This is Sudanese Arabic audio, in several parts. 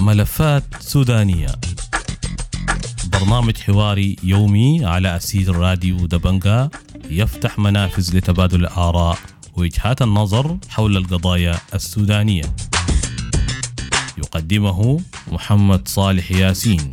ملفات سودانية، برنامج حواري يومي على أسير راديو دبنجا، يفتح منافذ لتبادل الآراء ووجهات النظر حول القضايا السودانية. يقدمه محمد صالح ياسين.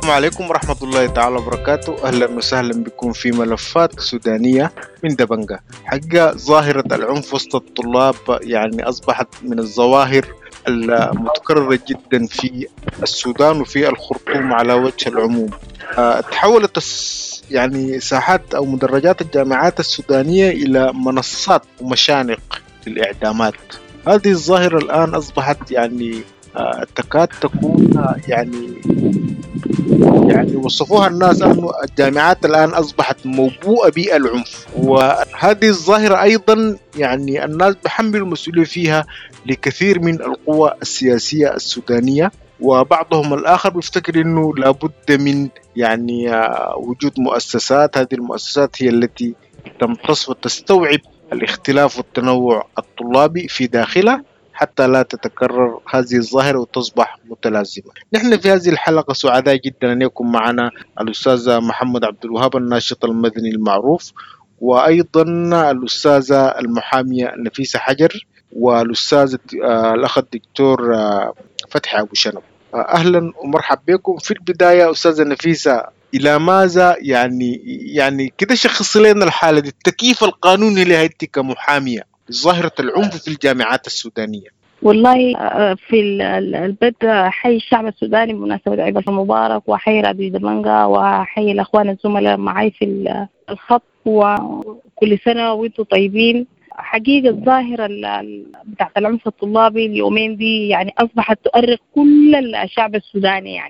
السلام عليكم ورحمة الله تعالى وبركاته. أهلا وسهلا بكم في ملفات سودانية من دبنجا. حقيقة ظاهرة العنف وسط الطلاب يعني أصبحت من الظواهر المتكررة جدا في السودان وفي الخرطوم على وجه العموم. تحولت يعني ساحات أو مدرجات الجامعات السودانية إلى منصات ومشانق للإعدامات. هذه الظاهرة الآن أصبحت يعني تكاد تكون يعني وصفوها الناس أنه الجامعات الآن أصبحت موبوءة بالعنف. وهذه الظاهرة أيضا يعني الناس بحملوا المسؤولية فيها لكثير من القوى السياسية السودانية، وبعضهم الآخر بيفتكر أنه لابد من يعني وجود مؤسسات، هذه المؤسسات هي التي تمتص وتستوعب الاختلاف والتنوع الطلابي في داخلها حتى لا تتكرر هذه الظاهرة وتصبح متلازمة. نحن في هذه الحلقة سعداء جدا أن يكون معنا الأستاذ محمد عبد الوهاب الناشط المدني المعروف، وأيضا الأستاذة المحامية نفيسة حجر، والأستاذ الأخ الدكتور فتحي أبو شنب. أهلا ومرحبا بكم. في البداية أستاذة نفيسة، إلى ماذا يعني كده شخص لنا الحالة دي، التكييف القانوني لها كمحامية ظاهرة العنف في الجامعات السودانية؟ والله في البدء حي الشعب السوداني بمناسبة عيد المبارك، وحي راديو دبنجا، وحي الأخوان الزملاء معي في الخط، وكل سنة وانتم طيبين. حقيقة الظاهرة بتاعت العنف الطلابي اليومين دي يعني أصبحت تؤرق كل الشعب السوداني،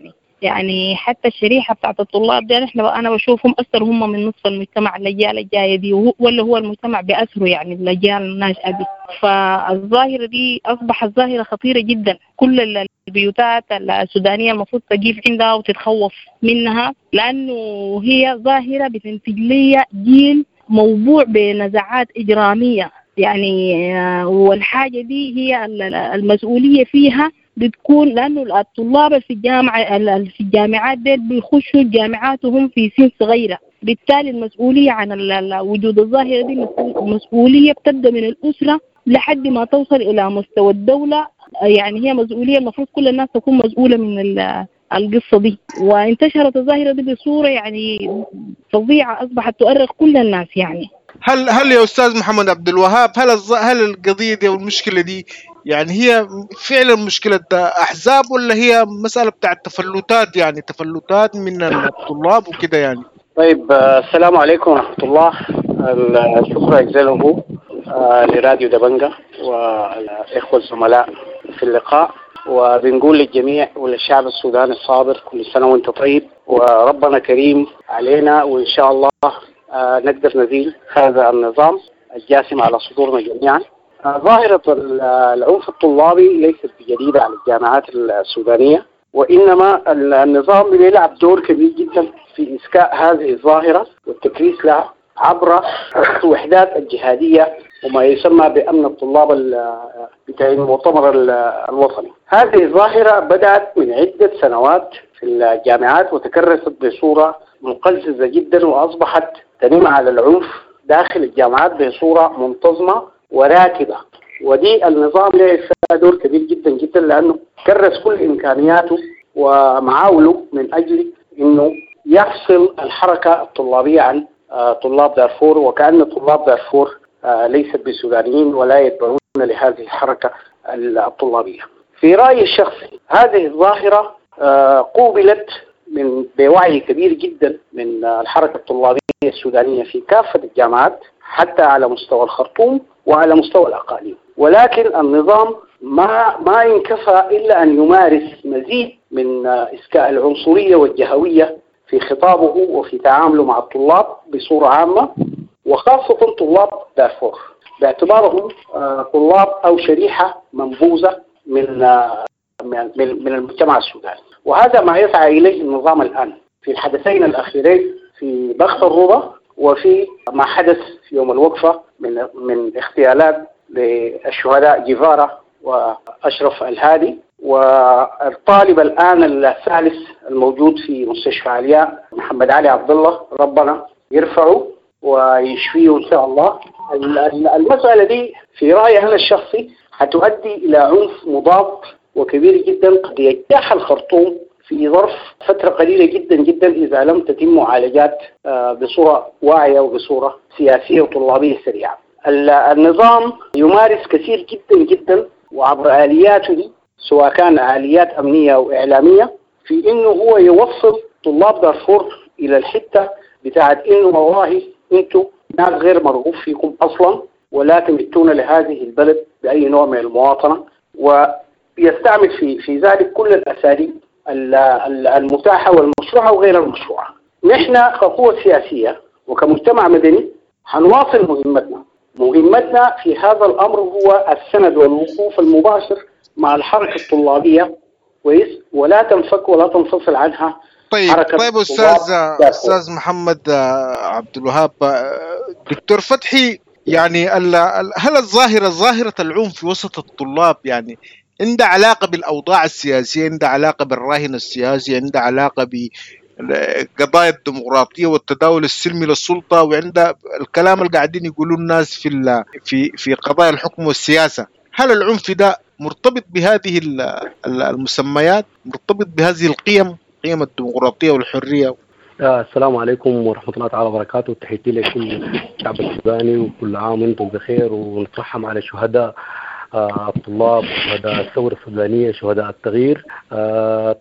يعني حتى الشريحة بتاعت الطلاب دي أنا بشوفهم أكثر هم من نصف المجتمع، الأجيال الجاية دي، ولا هو المجتمع بأسره يعني الأجيال الناشئة دي. فالظاهرة دي أصبحت ظاهرة خطيرة جدا، كل البيوتات السودانية المفروض تقيف عندها وتتخوف منها، لأنه هي ظاهرة بتنتج لي جيل موضوع بنزعات إجرامية يعني، والحاجة دي هي المسؤولية فيها بتكون، لأنه الطلاب في الجامعة في الجامعات دي بيخشوا الجامعات وهم في سن صغيرة، بالتالي المسؤولية عن وجود الظاهرة دي مسؤولية بتبدأ من الأسرة لحد ما توصل إلى مستوى الدولة. يعني هي مسؤولية المفروض كل الناس تكون مسؤولة من القصة دي. وانتشرت الظاهرة دي بصورة يعني فظيعة، أصبحت تؤرق كل الناس يعني. هل يا أستاذ محمد عبد الوهاب، هل القضية دي والمشكلة دي يعني هي فعلا مشكلة أحزاب، ولا هي مسألة بتاعت تفلتات، يعني تفلتات من الطلاب وكده يعني؟ طيب، السلام عليكم ورحمة الله. الشكر أجزله لراديو دبنجا والإخوة الزملاء في اللقاء، وبنقول للجميع وللشعب السوداني الصابر كل سنة وانت طيب، وربنا كريم علينا، وإن شاء الله نقدر نزيل هذا النظام الجاسم على صدورنا جميعا. ظاهرة العنف الطلابي ليست جديدة على الجامعات السودانية، وإنما النظام بيلعب دور كبير جدا في إسكاء هذه الظاهرة والتكريس لها عبر الوحدات الجهادية وما يسمى بأمن الطلاب بتاع المؤتمر الوطني. هذه الظاهرة بدأت من عدة سنوات في الجامعات وتكرست بصورة مقززة جدا، وأصبحت تنم على العنف داخل الجامعات بصورة منتظمة وراكبة. ودي النظام لعب فيها دور كبير جدا جدا، لأنه كرس كل إمكانياته ومعاوله من أجل أنه يفصل الحركة الطلابية عن طلاب دارفور، وكأن طلاب دارفور ليست بسودانيين ولا يتبعون لهذه الحركة الطلابية. في رأيي الشخصي هذه الظاهرة قوبلت من بوعي كبير جدا من الحركة الطلابية السودانية في كافة الجامعات، حتى على مستوى الخرطوم وعلى مستوى الأقاليم، ولكن النظام ما انكفى إلا أن يمارس مزيد من إسكاء العنصرية والجهوية في خطابه وفي تعامله مع الطلاب بصورة عامة، وخاصة طلاب دارفور باعتبارهم طلاب أو شريحة منبوذة من من المجتمع السوداني. وهذا ما يسعى إليه النظام الآن في الحدثين الأخيرين، في ضغط الربا وفي ما حدث في يوم الوقفة من اغتيالات للشهداء جيفارا وأشرف الهادي، والطالب الآن الثالث الموجود في مستشفى علياء محمد علي عبد الله، ربنا يرفعه ويشفيه إن شاء الله. المسألة دي في رأيي أنا الشخصي هتؤدي إلى عنف مضاد وكبير جدا قد يجتاح الخرطوم في ظرف فترة قليلة جدا جدا إذا لم تتم معالجات بصورة واعية وبصورة سياسية وطلابية سريعة. النظام يمارس كثير جدا جدا وعبر آلياته دي، سواء كان آليات أمنية أو إعلامية، في إنه هو يوصل طلاب دارفور إلى الحتة بتاعت إنه والله أنتوا ناس غير مرغوب فيكم أصلا ولا تمتون لهذه البلد بأي نوع من المواطنة، ويستعمل في ذلك كل الأساليب المتاحة والمشروعة وغير المشروعة. نحن كقوة سياسية وكمجتمع مدني هنواصل مهمتنا. مهمتنا في هذا الأمر هو السند والوقوف المباشر مع الحركة الطلابية، ولا تنفك ولا تنفصل عنها. طيب أستاذ محمد عبد الوهاب، دكتور فتحي، يعني هل الظاهرة ظاهرة العنف في وسط الطلاب يعني عندها علاقة بالأوضاع السياسية، عندها علاقة بالراهن السياسي، عندها علاقة بقضايا الديمقراطية والتداول السلمي للسلطة، وعندها الكلام اللي قاعدين يقولون الناس في قضايا الحكم والسياسة؟ هل العنف ده مرتبط بهذه المسميات، مرتبط بهذه القيم، قيم الديمقراطية والحرية؟ السلام عليكم ورحمة الله تعالى وبركاته. تحياتي لكل الشعب السوداني، وكل عام وانتم بخير، ونترحم على شهداء الطلاب، شهداء الثورة السودانية، شهداء التغيير.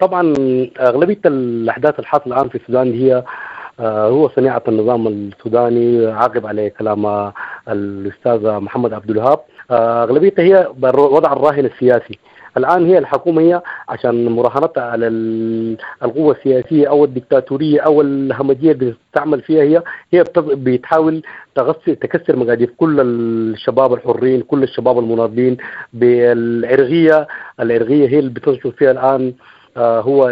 طبعا أغلبية الأحداث الحاصلة الآن في السودان هي هو صنيعة النظام السوداني، عاقب على كلام الأستاذ محمد عبد الوهاب. أغلبيتها هي وضع الراهن السياسي. الآن هي الحكومة هي عشان مراهنتها على القوة السياسية أو الدكتاتورية أو الهمجية اللي بتستعمل فيها، هي بتحاول تكسر مقاديف كل الشباب الحرين، كل الشباب المناضلين بالعرقية. العرقية هي اللي بتنشر فيها الآن، هو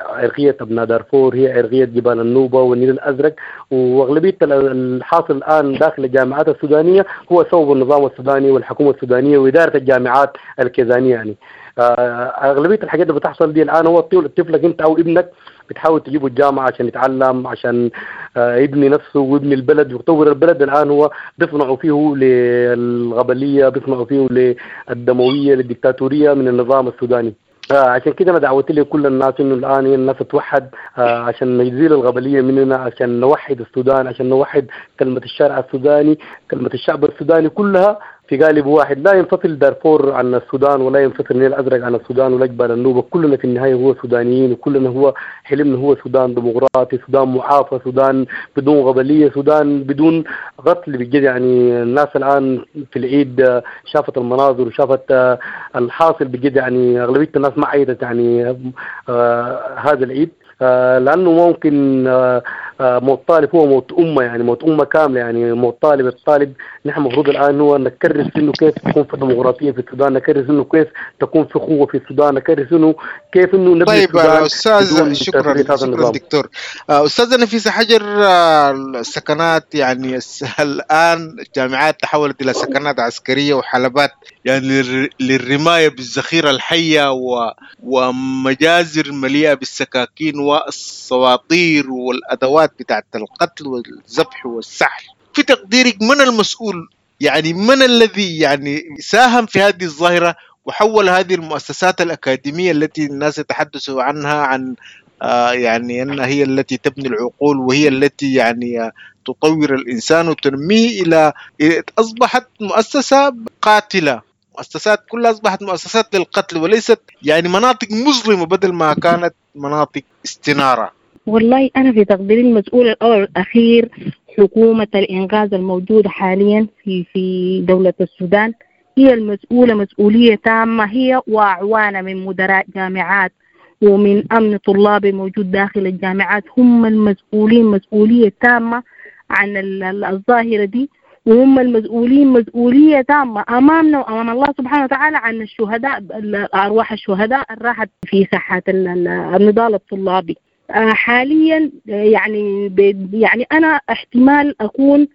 عرقية أبناء دارفور، هي عرقية جبال النوبة والنيل الأزرق. وأغلبية الحاصل الآن داخل الجامعات السودانية هو سبب النظام السوداني والحكومة السودانية وإدارة الجامعات الكيزانية. يعني أغلبية الحاجات اللي بتحصل دي الآن هو طفلك أنت أو ابنك بتحاول تجيبه الجامعة عشان يتعلم، عشان يبني نفسه ويبني البلد ويطور البلد. الآن هو بيصنعوا فيه للغبلية، بيصنعوا فيه للدموية، للدكتاتورية من النظام السوداني. عشان كده انا دعوت لكل الناس انه الان الناس تتوحد، عشان نزيل الغبليه مننا، عشان نوحد السودان، عشان نوحد كلمة الشارع السوداني، كلمة الشعب السوداني كلها في قالب واحد. لا ينفصل دارفور عن السودان، ولا ينفصل النيل الازرق عن السودان، ولا جبال النوبة. كلنا في النهاية هو سودانيين، وكلنا هو حلمنا هو سودان ديمقراطي، سودان معافى، سودان بدون غبليه، سودان بدون قتل بجد. يعني الناس الان في العيد شافت المناظر وشافت الحاصل بجد، يعني اغلبية الناس ما عيدت يعني هذا العيد، لانه ممكن موت طالب هو موت امه، يعني موت امه كاملة، يعني موت طالب. الطالب نحن المفروض الان هو نكرس انه كيف تكون في ديمقراطية في السودان، نكرس انه كيف تكون في قوة في السودان، نكرس انه كيف انه نبني. طيب استاذ، شكرا دكتور. استاذه نفيسة حجر، السكنات يعني الان الجامعات تحولت الى سكنات عسكرية وحلبات يعني للرمايه بالذخيره الحية ومجازر مليئة بالسكاكين والسواطير والادوات بتاعت القتل والذبح والسحل. في تقديرك من المسؤول؟ يعني من الذي يعني ساهم في هذه الظاهرة وحول هذه المؤسسات الأكاديمية التي الناس يتحدثوا عنها عن يعني أنها هي التي تبني العقول وهي التي يعني تطور الإنسان وتنميه إلى أصبحت مؤسسة قاتلة؟ مؤسسات كلها أصبحت مؤسسات للقتل وليست يعني مناطق مظلمة بدل ما كانت مناطق استنارة. والله أنا في تقديري المسؤول الأول والأخير حكومة الإنقاذ الموجودة حاليا في دولة السودان، هي المسؤولة مسؤولية تامة، هي وأعوانها من مدراء جامعات ومن أمن طلابي موجود داخل الجامعات، هم المسؤولين مسؤولية تامة عن الظاهرة دي. وهم المسؤولين مسؤولية تامة أمامنا وأمام الله سبحانه وتعالى عن الشهداء، أرواح الشهداء راحت في ساحات النضال الطلابي. حاليا يعني أنا احتمال أكون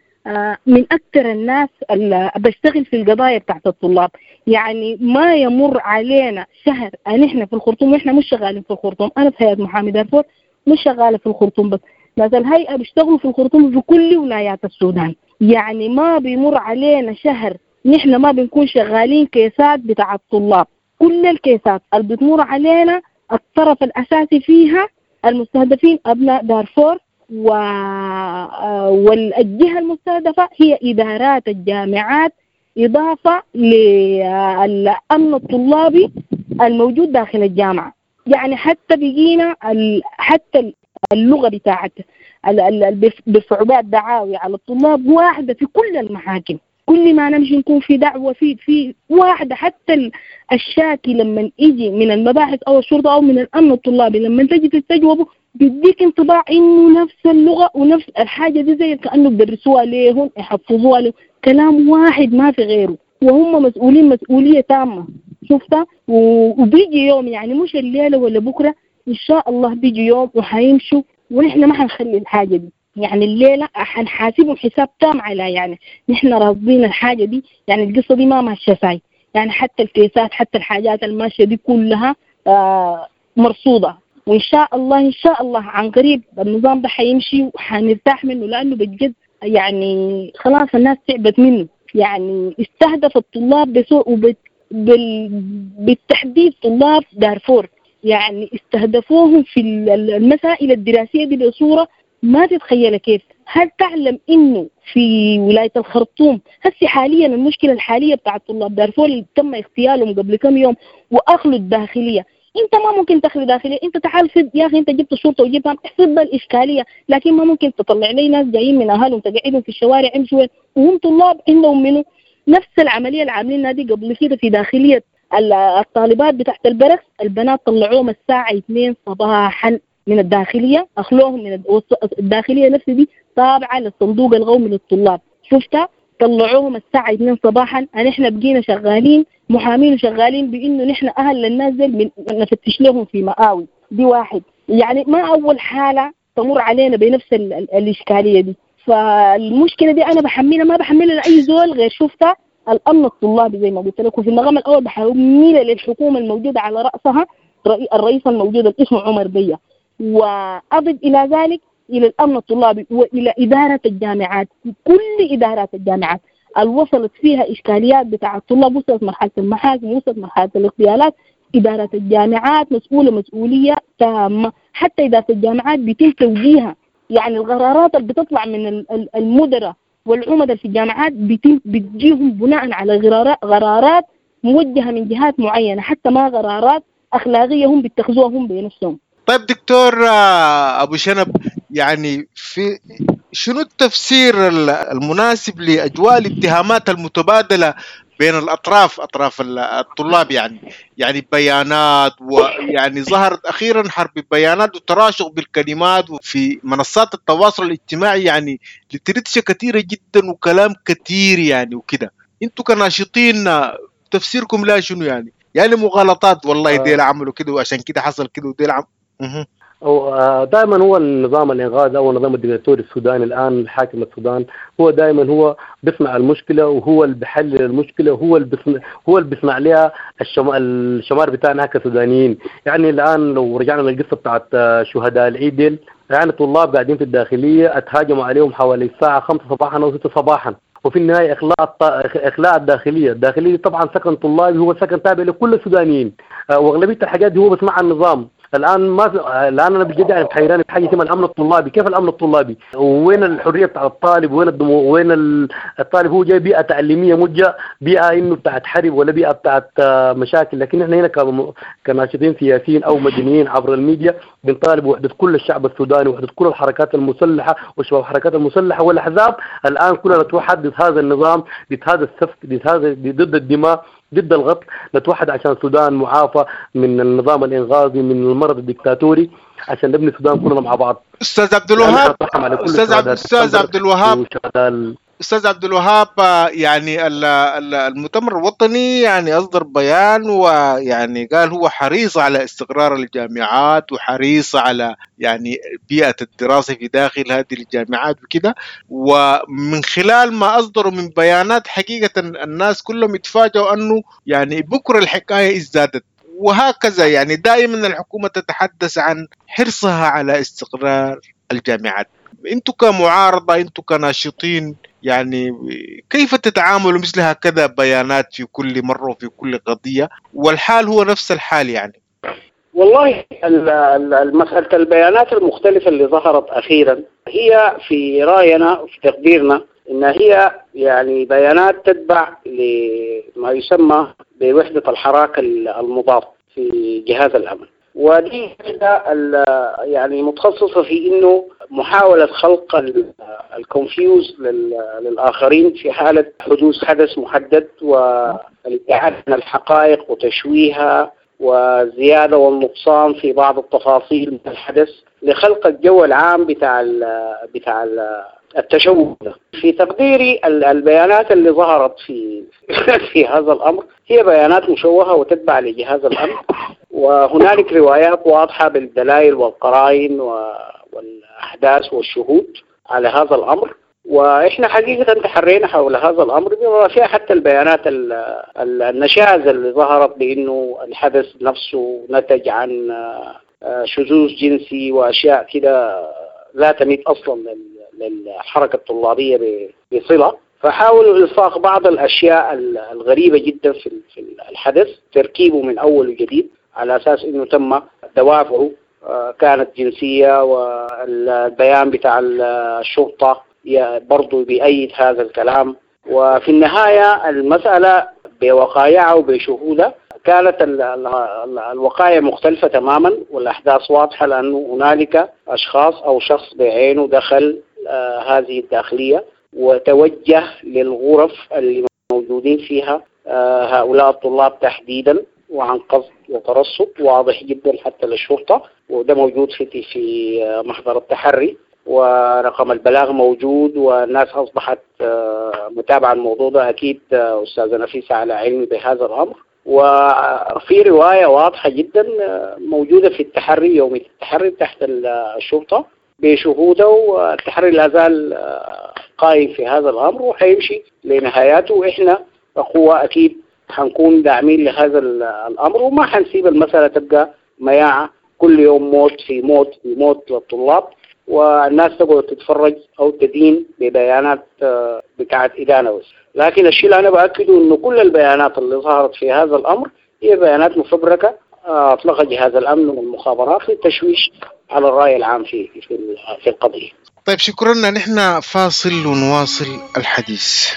من أكثر الناس اللي بشتغل في القضايا بتاعت الطلاب. يعني ما يمر علينا شهر نحن في الخرطوم وإحنا مش شغالين في الخرطوم. أنا في هيئة محامي دارفور مش شغالة في الخرطوم بس، ناس الهيئة بيشتغلوا في الخرطوم في كل ولايات السودان. يعني ما بيمر علينا شهر نحن ما بنكون شغالين كيسات بتاع الطلاب. كل الكيسات اللي بتمر علينا الطرف الأساسي فيها المستهدفين أبناء دارفور، والجهة المستهدفة هي إدارات الجامعات، إضافة للأمن الطلابي الموجود داخل الجامعة. يعني حتى بقينا حتى اللغة بتاعت بيرفعوا بها الدعاوي على الطلاب واحدة في كل المحاكم. كل ما نمشي نكون في دعوة في واحدة. حتى الشاكي لما يجي من المباحث أو الشرطة أو من الأمن الطلابي لما تجي تستجوبه بيديك انطباع إنه نفس اللغة ونفس الحاجة دي، زي كأنه بدرسوها ليهم يحفظوها لهم، كلام واحد ما في غيره. وهم مسؤولين مسؤولية تامة. شفتها؟ وبيجي يوم، يعني مش الليلة ولا بكرة، إن شاء الله بيجي يوم وحيمشوا، ونحن ما حنخلي الحاجة دي. يعني الليلة حنحاسبهم حساب تام على، يعني نحن راضين الحاجة دي، يعني القصة دي ما ماشية ساي. يعني حتى الكيسات حتى الحاجات الماشية دي كلها مرصودة، وإن شاء الله إن شاء الله عن قريب النظام ده حيمشي وحنرتاح منه، لأنه بجد يعني خلاص الناس تعبت منه. يعني استهدف الطلاب بسوء، بالتحديد طلاب دارفور، يعني استهدفوهم في المسائل الدراسية دي بصورة ما تتخيل كيف. هل تعلم إنه في ولاية الخرطوم هسي حاليا المشكلة الحالية بتاع طلاب دارفور اللي تم اغتيالهم قبل كم يوم وأخلوا الداخلية، انت ما ممكن تخلي داخلية، انت تعال فد يا اخي، انت جبت الشرطة وجبتها احسب الاشكالية، لكن ما ممكن تطلع لي ناس جايين من اهلهم تقعدهم في الشوارع يمشوا وهم طلاب عندهم منه. نفس العملية اللي عاملينها دي قبل كده في داخلية الطالبات بتاعت البركس، البنات طلعوهم الساعة 2 صباحا من الداخلية، اخلوهم من الداخلية نفس دي تابعه للصندوق القومي للطلاب، شفتها؟ طلعوهم الساعة 2 صباحا. نحن بقينا شغالين محامين وشغالين بإنه نحن أهل للناس دي نفتش لهم في مآوي دي واحد. يعني ما أول حالة تمر علينا بنفس الإشكالية دي. فالمشكلة دي أنا بحملها، ما بحملها لأي زول غير شفتها الأمن الطلابي زي ما قلت لكم. في المقام الأول بحملها للحكومة الموجودة على رأسها الرئيس الموجود اللي اسمه عمر بيه، وأضف إلى ذلك إلى الأمن الطلابي وإلى إدارة الجامعات. كل إدارات الجامعات اللي وصلت فيها إشكاليات بتاع الطلاب، وصلت مرحلة المحاكم، وصلت مرحلة الاغتيالات، إدارة الجامعات مسؤولة مسؤولية تامة. حتى إدارة الجامعات بيتم توجيهها، يعني القرارات اللي بتطلع من المدراء والعمدة في الجامعات بتجيهم بناء على قرارات موجهة من جهات معينة، حتى ما قرارات أخلاقية هم بيتخذوها هم بنفسهم. طيب دكتور أبو شنب، يعني في شنو التفسير المناسب لأجواء الاتهامات المتبادلة بين الأطراف، أطراف الطلاب؟ يعني بيانات، ويعني ظهرت أخيرا حرب بيانات وتراشق بالكلمات في منصات التواصل الاجتماعي، يعني لترتشة كثيرة جدا وكلام كثير يعني وكده. انتوا كناشطين تفسيركم لا شنو يعني مغالطات والله ديل عملوا كده وعشان كده حصل كده وديل عملوا. دائما هو النظام الإنغاذ أو النظام الديكتاتوري السوداني الآن الحاكم السودان هو دائما هو بيصنع المشكلة، وهو اللي بيحلل المشكلة، وهو اللي بيصنع لها الشمار بتاعنا كسودانيين. يعني الآن لو رجعنا للقصة بتاعت شهداء العيد، يعني طلاب قاعدين في الداخلية اتهاجموا عليهم حوالي الساعة 5 صباحا أو 6 صباحا، وفي النهاية إخلاء الداخلية. الداخلية طبعا سكن طلابي، هو سكن تابع لكل السودانيين، وأغلبية الحاجات دي هو بيصنعها النظام. الان ما في، الان انا بجد يعني حيران في حاجة اسمها الامن الطلابي. كيف الامن الطلابي؟ وين الحرية بتاع الطالب؟ وين وين الطالب؟ هو جاي بيئة تعليمية، مو جاي بيئة انه بتاعت حرب ولا بيئة بتاعت مشاكل. لكن احنا هنا كناشطين سياسيين او مدنيين عبر الميديا بنطالب وحده كل الشعب السوداني، وحده كل الحركات المسلحة وشباب الحركات المسلحة والاحزاب. الان كلنا نتوحد ضد هذا النظام، ضد هذا السفك، ضد هذا، ضد الدماء، ضد الغطل. نتوحد عشان السودان معافى من النظام الإنغازي، من المرض الدكتاتوري، عشان نبني السودان كلنا مع بعض. أستاذ عبد الوهاب، أستاذ عبد الوهاب، أستاذ عبد الوهاب، يعني المؤتمر الوطني يعني أصدر بيان ويعني قال هو حريص على استقرار الجامعات وحريص على يعني بيئة الدراسة في داخل هذه الجامعات وكده، ومن خلال ما أصدروا من بيانات حقيقة الناس كلهم يتفاجئوا أنه يعني بكرة الحكاية ازدادت وهكذا. يعني دائما الحكومة تتحدث عن حرصها على استقرار الجامعات. انتم كمعارضة، انتم كناشطين، يعني كيف تتعاملوا مثل هكذا بيانات في كل مرة وفي كل قضية والحال هو نفس الحال؟ يعني والله مسألة البيانات المختلفة اللي ظهرت أخيرا هي في رأينا وفي تقديرنا إن هي يعني بيانات تتبع لما يسمى بوحدة الحراك المضاد في جهاز الأمن، ودي يعني متخصصة في إنه محاولة خلق الكونفيوز للآخرين في حالة حدوث حدث محدد والابتعاد عن الحقائق وتشويهها وزيادة والنقصان في بعض التفاصيل من الحدث لخلق الجو العام بتاع التشوه. في تقديري البيانات اللي ظهرت في هذا الأمر هي بيانات مشوهة وتتبع لجهاز الأمن، وهنالك روايات واضحة بالدلائل والقرائن والأحداث والشهود على هذا الأمر، وإحنا حقيقة تحرينا حول هذا الأمر بما فيها حتى البيانات النشاز اللي ظهرت بأنه الحدث نفسه نتج عن شذوذ جنسي وأشياء كده لا تميت أصلا للحركة الطلابية بصلة. فحاولوا إلصاق بعض الأشياء الغريبة جدا في الحدث، تركيبه من أول وجديد على أساس أنه تم دوافعه كانت جنسية، والبيان بتاع الشرطة برضو بيأيد هذا الكلام. وفي النهاية المسألة بوقايعها وبشهودها كانت الوقاية مختلفة تماما والأحداث واضحة، لأنه هنالك أشخاص أو شخص بعينه دخل هذه الداخلية وتوجه للغرف اللي موجودين فيها هؤلاء الطلاب تحديدا، وعن قصد وترصد واضح جدا حتى للشرطة، وده موجود في محضر التحري ورقم البلاغ موجود، والناس أصبحت متابعة الموضوع ده. أكيد أستاذة نفيسة على علم بهذا الأمر. وفي رواية واضحة جدا موجودة في التحري، يوم التحري تحت الشرطة بشهوده، والتحري لا زال قائم في هذا الأمر وحيمشي لنهاياته، وإحنا كقوة أكيد حنكون داعمين لهذا الأمر، وما حنسيب المسألة تبقى مياعة كل يوم موت في موت في موت للطلاب، والناس تقعد تتفرج أو تدين ببيانات بتاعت إدانة بس. لكن الشيء اللي أنا بأكده إنه كل البيانات اللي ظهرت في هذا الأمر هي بيانات مفبركة أطلقها جهاز الأمن والمخابرات للتشويش على الرأي العام في في القضية. طيب شكرا، نحن فاصل ونواصل الحديث.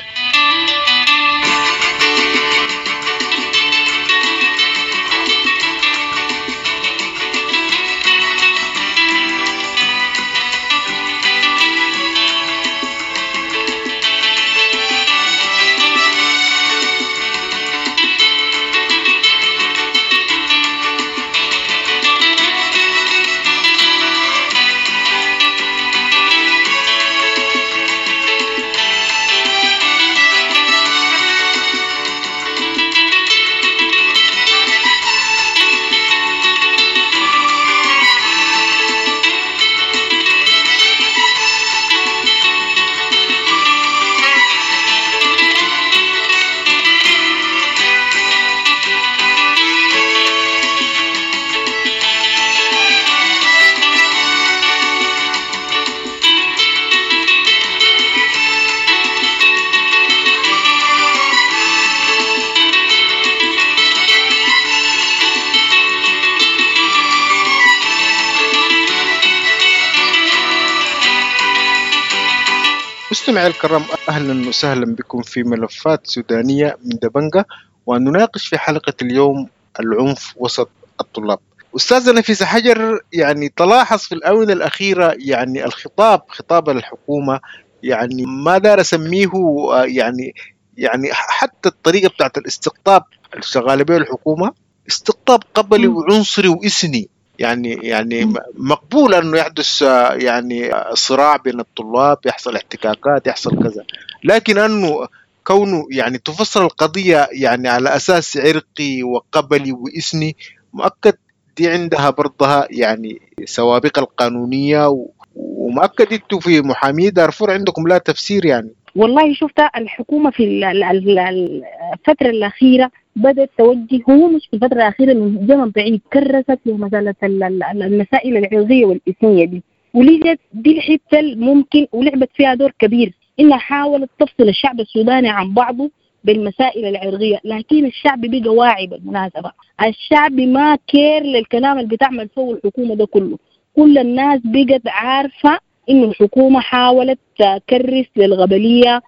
مستمعي الكرام، أهلا وسهلا بكم في ملفات سودانية من دبنجة، ونناقش في حلقة اليوم العنف وسط الطلاب. أستاذة نفيسة حجر، يعني تلاحظ في الآونة الأخيرة يعني الخطاب، خطاب الحكومة، يعني ما دار أسميه يعني حتى الطريقة بتاعت الاستقطاب اللي شغالة بها الحكومة استقطاب قبلي وعنصري وإثني، يعني مقبول انه يحدث يعني صراع بين الطلاب، يحصل احتكاكات، يحصل كذا، لكن أنه كونه يعني تفصل القضية يعني على أساس عرقي وقبلي وإثني، مؤكد دي عندها برضها يعني سوابق القانونية، ومؤكد انتوا في محامي دارفور عندكم لا تفسير يعني. والله شفت الحكومة في الفترة الأخيرة بدأت توجه، هو مش في الفترة الأخيرة من زمن بعيد كرست لمسألة المسائل العرقية والإثنية دي، ولجت دي الحتة ممكن ولعبت فيها دور كبير، إنها حاولت تفصل الشعب السوداني عن بعضه بالمسائل العرقية. لكن الشعب بقى واعي بالمناسبة، الشعب ما care للكلام اللي بتعمل فوق الحكومة ده كله، كل الناس بقت عارفة إنه الحكومة حاولت تكرس للغبلية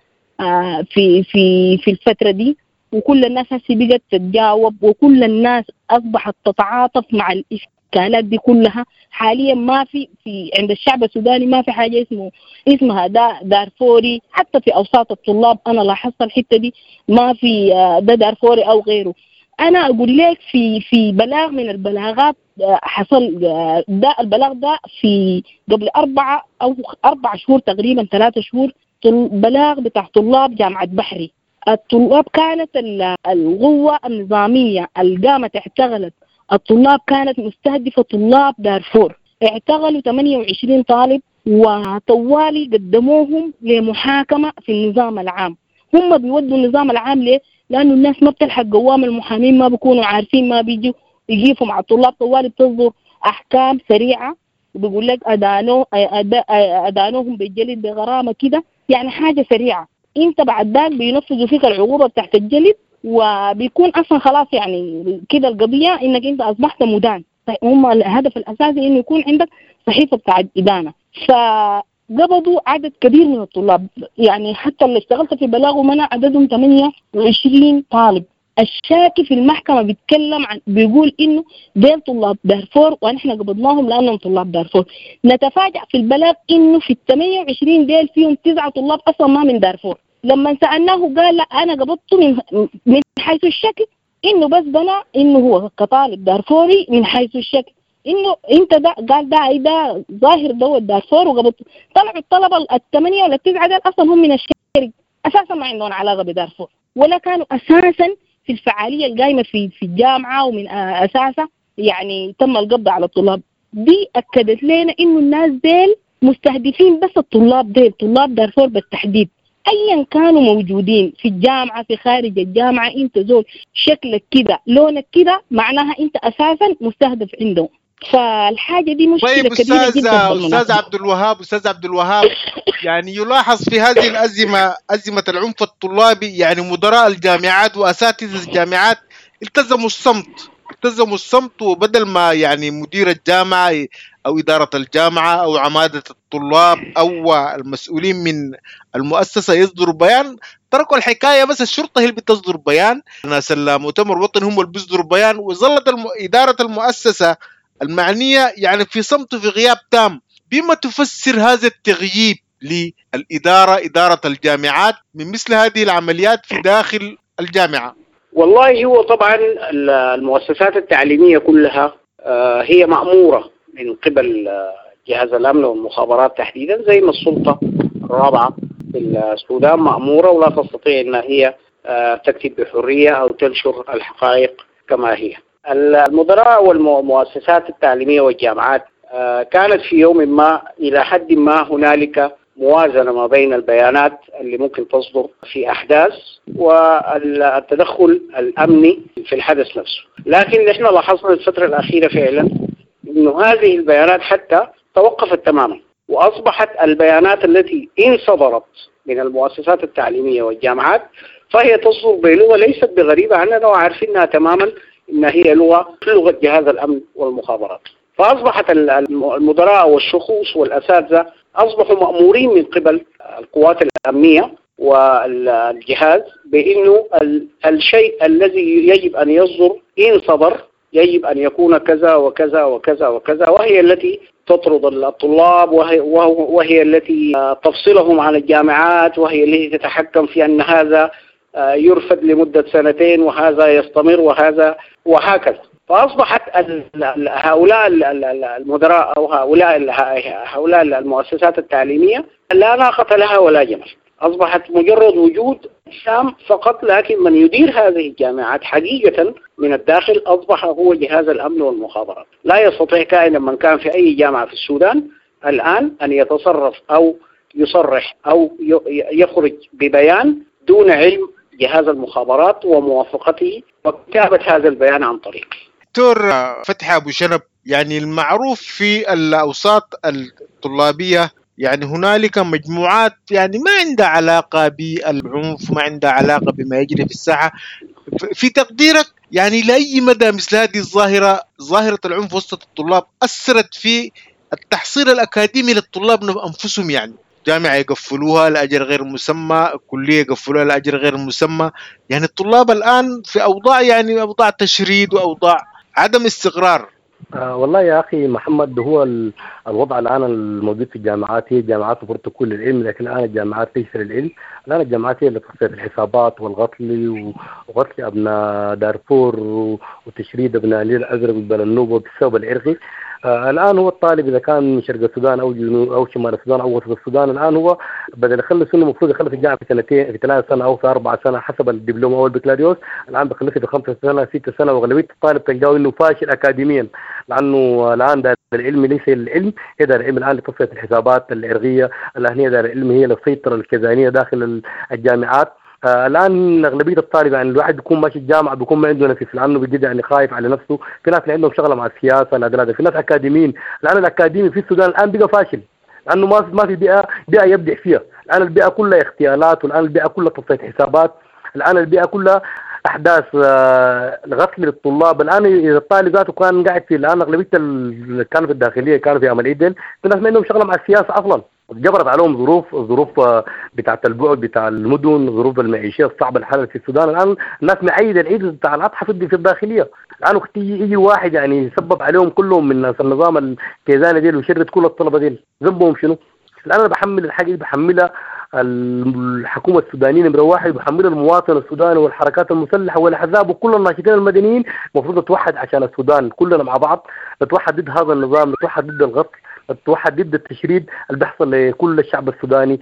في في في الفترة دي، وكل الناس هسي بقت تتجاوب، وكل الناس أصبحت تتعاطف مع الإشكالات دي كلها. حاليا ما في عند الشعب السوداني ما في حاجة اسمها ده دارفوري، حتى في أوساط الطلاب أنا لاحظت الحتة دي، ما في ده دارفوري أو غيره. أنا أقول لك في بلاغ من البلاغات حصل، ده البلاغ ده في قبل 4 أو 4 شهور تقريبا، 3 شهور، بلاغ بتاع طلاب جامعة بحري. الطلاب كانت القوة النظامية اللي قامت اعتقلت الطلاب كانت مستهدفة طلاب دارفور، اعتقلوا 28 طالب وطوالي قدموهم لمحاكمة في النظام العام. هم بيودوا النظام العام ليه؟ لأنه الناس ما بتلحق قوام المحامين، ما بيكونوا عارفين، ما بيجوا يجيفوا مع الطلاب، طوالي بتصدر أحكام سريعة وبيقول لك أدانوهم بالجلد بغرامة كده، يعني حاجة سريعة. انت بعد ذاك بينفذوا فيك العقوبة بتاعت الجلد، وبيكون أصلا خلاص يعني كده القضية إنك أنت أصبحت مدان. هم الهدف الأساسي إنه يكون عندك صحيفة بتاعت إدانة. فقبضوا عدد كبير من الطلاب، يعني حتى اللي اشتغلت في بلاغه منع عددهم 28 طالب. الشاكي في المحكمة بيتكلم عن، بيقول إنه ديل طلاب دارفور ونحن قبضناهم لأنهم طلاب دارفور. نتفاجأ في البلاغ إنه في 28 ديل فيهم 9 طلاب أصلا ما من دارفور. لما سألناه قال لا أنا قبضته من حيث الشكل، إنه بس بنا إنه هو كطالب دارفوري من حيث الشكل، إنه أنت ده قال ده ده ظاهر ده دارفور وقبضته. طلعوا الطلبة 8 ولا 9 ديل أصلا هم من الشرق، أساسا ما عندهم علاقة بدارفور ولا كانوا أساسا في الفعالية القايمة في الجامعة، ومن أساسها يعني تم القبض على الطلاب. دي أكدت لنا إنه الناس ديل مستهدفين بس الطلاب ديل، طلاب دارفور بالتحديد، أيا كانوا موجودين في الجامعة في خارج الجامعة. أنت زول شكلك كده لونك كده معناها أنت أساسا مستهدف عندهم. فالحاجة دي مشكلة طيب كبيرة جدا. أستاذ عبد الوهاب، أستاذ عبد الوهاب، يعني يلاحظ في هذه الأزمة، أزمة العنف الطلابي، يعني مدراء الجامعات وأساتذة الجامعات التزموا الصمت، التزموا الصمت، وبدل ما يعني مدير الجامعة أو إدارة الجامعة أو عمادة الطلاب أو المسؤولين من المؤسسة يصدروا بيان، تركوا الحكاية بس الشرطة هي اللي بتصدر بيان، ناس المؤتمر الوطني هم اللي بيصدروا بيان، وظلت إدارة المؤسسة المعنية يعني في صمت، في غياب تام. بما تفسر هذا التغييب للإدارة، إدارة الجامعات، من مثل هذه العمليات في داخل الجامعة؟ والله هو طبعا المؤسسات التعليمية كلها هي مأمورة من قبل جهاز الأمن والمخابرات تحديدا، زي ما السلطة الرابعة في السودان مأمورة ولا تستطيع أن هي تكتب بحرية أو تنشر الحقائق كما هي. المدراء والمؤسسات التعليمية والجامعات كانت في يوم ما إلى حد ما هنالك موازنة ما بين البيانات اللي ممكن تصدر في أحداث والتدخل الأمني في الحدث نفسه، لكن نحن لاحظنا الفترة الأخيرة فعلا أنه هذه البيانات حتى توقفت تماما، وأصبحت البيانات التي إن صدرت من المؤسسات التعليمية والجامعات فهي تصدر بلغة ليست بغريبة عننا وعارفينها تماما إن هي لغة جهاز الأمن والمخابرات. فأصبحت المدراء والشخوص والأساتذة أصبحوا مأمورين من قبل القوات الأمنية والجهاز بأنه الشيء الذي يجب أن يصدر إن صدر يجب أن يكون كذا وكذا وكذا وكذا، وهي التي تطرد الطلاب، وهي التي تفصلهم عن الجامعات، وهي التي تتحكم في أن هذا يرفض لمدة سنتين وهذا يستمر وهذا وهكذا. فأصبحت هؤلاء المدراء أو هؤلاء المؤسسات التعليمية لا ناقة لها ولا جمل. أصبحت مجرد وجود شام فقط، لكن من يدير هذه الجامعات حقيقة من الداخل أصبح هو جهاز الأمن والمخابرات. لا يستطيع كائنا من كان في أي جامعة في السودان الآن أن يتصرف أو يصرح أو يخرج ببيان دون علم جهاز المخابرات وموافقته وكتابة هذا البيان عن طريقه. دكتور فتحي أبو شنب، يعني المعروف في الأوساط الطلابية يعني هنالك مجموعات يعني ما عندها علاقة بالعنف، ما عندها علاقة بما يجري في الساحة. في تقديرك يعني لأي مدى مثل هذه الظاهرة، ظاهرة العنف وسط الطلاب، أثرت في التحصيل الأكاديمي للطلاب أنفسهم؟ يعني جامعة يقفلوها لأجل غير مسمى، كلية يقفلوها لأجل غير مسمى، يعني الطلاب الآن في أوضاع، يعني أوضاع تشريد وأوضاع عدم استقرار. والله يا أخي محمد، هو الوضع الآن الموجود في الجامعات، هي الجامعات المفروض تكون للعلم، لكن الآن الجامعات ليس للعلم. الآن الجامعات هي اللي تصفية الحسابات والقتل وقتل أبناء دارفور وتشريد أبناء النيل الأزرق وجبال النوبة بالسبب العرقي. الآن هو الطالب إذا كان من شرق السودان أو جنوب أو شمال السودان أو وسط السودان، الآن هو بدل يخلص إنه المفروض يخلص الجامعة في سنتين، في 3 سنة أو في 4 سنة حسب الدبلوم أو البكالوريوس، الآن بيخلصها في 5 سنة 6 سنة، وأغلبية الطالب تلقاه إنه فاشل أكاديميا، لأنه الآن دار العلم ليس للعلم، هي دار العلم الآن لتصفية الحسابات العرقية، الآن هي دار العلم هي للسيطرة الكيزانية داخل الجامعات. الان اغلبية الطالب يعني الواحد بيكون ماشي الجامعة بيكون ما عنده نفس، لانه بجد يعني خايف على نفسه. في ناس اللي عندهم شغله مع السياسة، لا في ناس اكاديميين. الان الاكاديمي في السودان الان بقى فاشل، لانه ما في بيئة يبدع فيها. الان البيئة كلها اغتيالات، والان البيئة كلها تصفية حسابات، الان البيئة كلها احداث الغسل للطلاب. الان اذا الطالب ذاته كان قاعد في، الان اغلبية اللي كانوا في الداخلية كانوا في عمل ايدل، في ناس ما عندهم شغله مع السياسة اصلا، جبرت عليهم ظروف بتاعت البعد بتاع المدن، ظروف المعيشية الصعبة الحالة في السودان. الان الناس معيده العيد بتاع الاضحى في الداخلية. الان وقت يجي واحد يعني يسبب عليهم كلهم من ناس النظام الكيزاني ديل ويشرد كل الطلبة ديل، ذنبهم شنو؟ الان انا بحمل الحاجة دي، بحملها الحكومة السودانية نمره واحد، بحملها المواطن السوداني والحركات المسلحة والاحزاب وكل الناشطين المدنيين. المفروض نتوحد عشان السودان كلنا مع بعض، نتوحد ضد هذا النظام، نتوحد ضد الغسل، نتوحد ضد التشريد اللي بيحصل لكل الشعب السوداني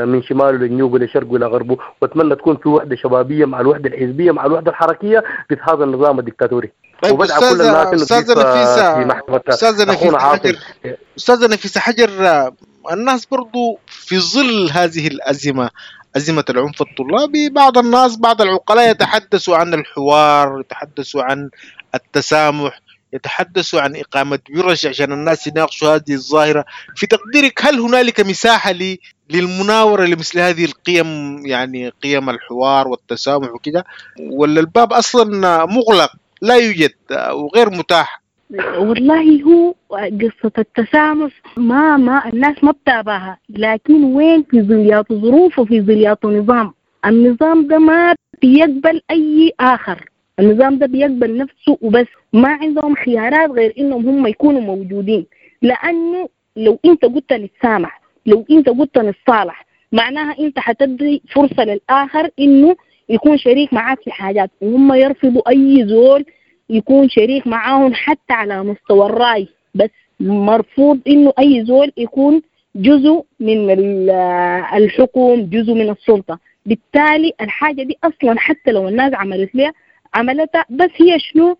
من شماله لجنوبه لشرقه لغربه. واتمنى تكون في وحده شبابية مع الوحدة الحزبية مع الوحدة الحركية ضد هذا النظام الدكتاتوري. طيب أستاذة نفيسة حجر، الناس برضو في ظل هذه الأزمة، أزمة العنف الطلابي، بعض الناس بعض العقلاء يتحدثوا عن الحوار، يتحدثوا عن التسامح، يتحدثوا عن إقامة ورش عشان الناس يناقشوا هذه الظاهرة. في تقديرك هل هنالك مساحة للمناورة لمثل هذه القيم، يعني قيم الحوار والتسامح وكده، ولا الباب أصلا مغلق لا يوجد وغير متاح؟ والله هو قصة التسامح ما الناس ما بتابعها، لكن وين في ظليات ظروف وفي ظليات نظام. النظام ده ما بيقبل أي آخر، النظام ده بيقبل نفسه وبس، ما عندهم خيارات غير إنهم هم يكونوا موجودين. لأنه لو أنت قلت نتسامح، لو أنت قلت نتصالح، معناها أنت حتدي فرصة للآخر إنه يكون شريك معاك في حاجات، وهم يرفضوا أي زول يكون شريك معاهم حتى على مستوى الرأي. بس مرفوض إنه أي زول يكون جزء من الحكم، جزء من السلطة. بالتالي الحاجة دي أصلا حتى لو الناس عملت لها عملتها، بس هي شنو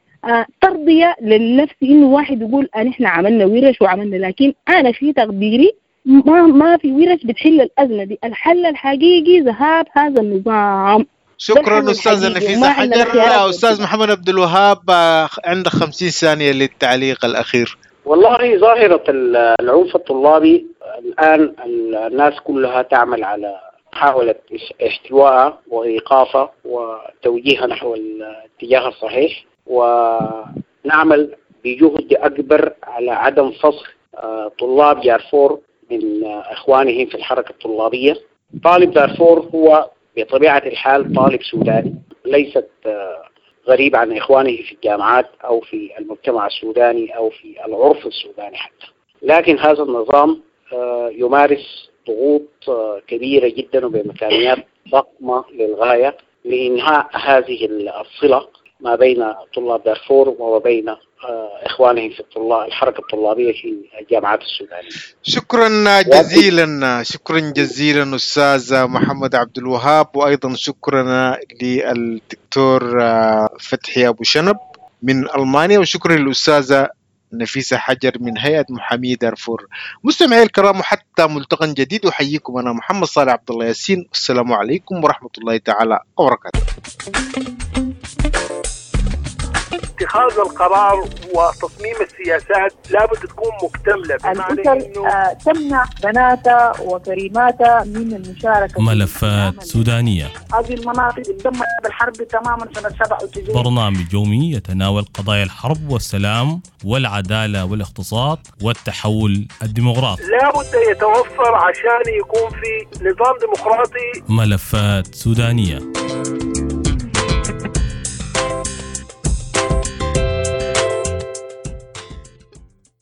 ترضية للنفس إنه واحد يقول أن إحنا عملنا ورش وعملنا، لكن أنا في تقديري ما في ورش بتحل الأزمة دي. الحل الحقيقي ذهاب هذا النظام. شكرا أستاذة نفيسة حجر. أستاذ محمد عبد الوهاب عندك 50 ثانية للتعليق الأخير. والله ظاهرة العنف الطلابي الآن الناس كلها تعمل على محاولة احتوائها وإيقافها وتوجيهها نحو الاتجاه الصحيح، ونعمل بجهد أكبر على عدم فصل طلاب دارفور من إخوانهم في الحركة الطلابية. طالب دارفور هو بطبيعة الحال طالب سوداني، ليست غريب عن إخوانه في الجامعات أو في المجتمع السوداني أو في العرف السوداني حتى، لكن هذا النظام يمارس ضغوط كبيرة جدا وبإمكانيات ضخمة للغاية لإنهاء هذه الصلة ما بين طلاب دارفور وما بين إخوانهم في الطلاب الحركة الطلابية في الجامعات السودانية. شكرا جزيلا، شكرا جزيلا أستاذ محمد عبد الوهاب، وأيضا شكرا للدكتور فتحي أبو شنب من ألمانيا، وشكرا للأستاذة نفيسة حجر من هيئة محامي دارفور. مستمعي الكرام، وحتى ملتقى جديد أحييكم أنا محمد صالح عبد الله ياسين، والسلام عليكم ورحمة الله تعالى وبركاته. اتخاذ القرار وتصميم السياسات لابد تكون مكتملة. الأسر تمنع بناتها وكريماتها من المشاركة. ملفات سودانية، هذه المناطق تدمرت بالحرب تماما سنة 97. برنامج يومي يتناول قضايا الحرب والسلام والعدالة والاقتصاد والتحول الديمقراطي. لابد يتوفر عشان يكون في نظام ديمقراطي. ملفات سودانية.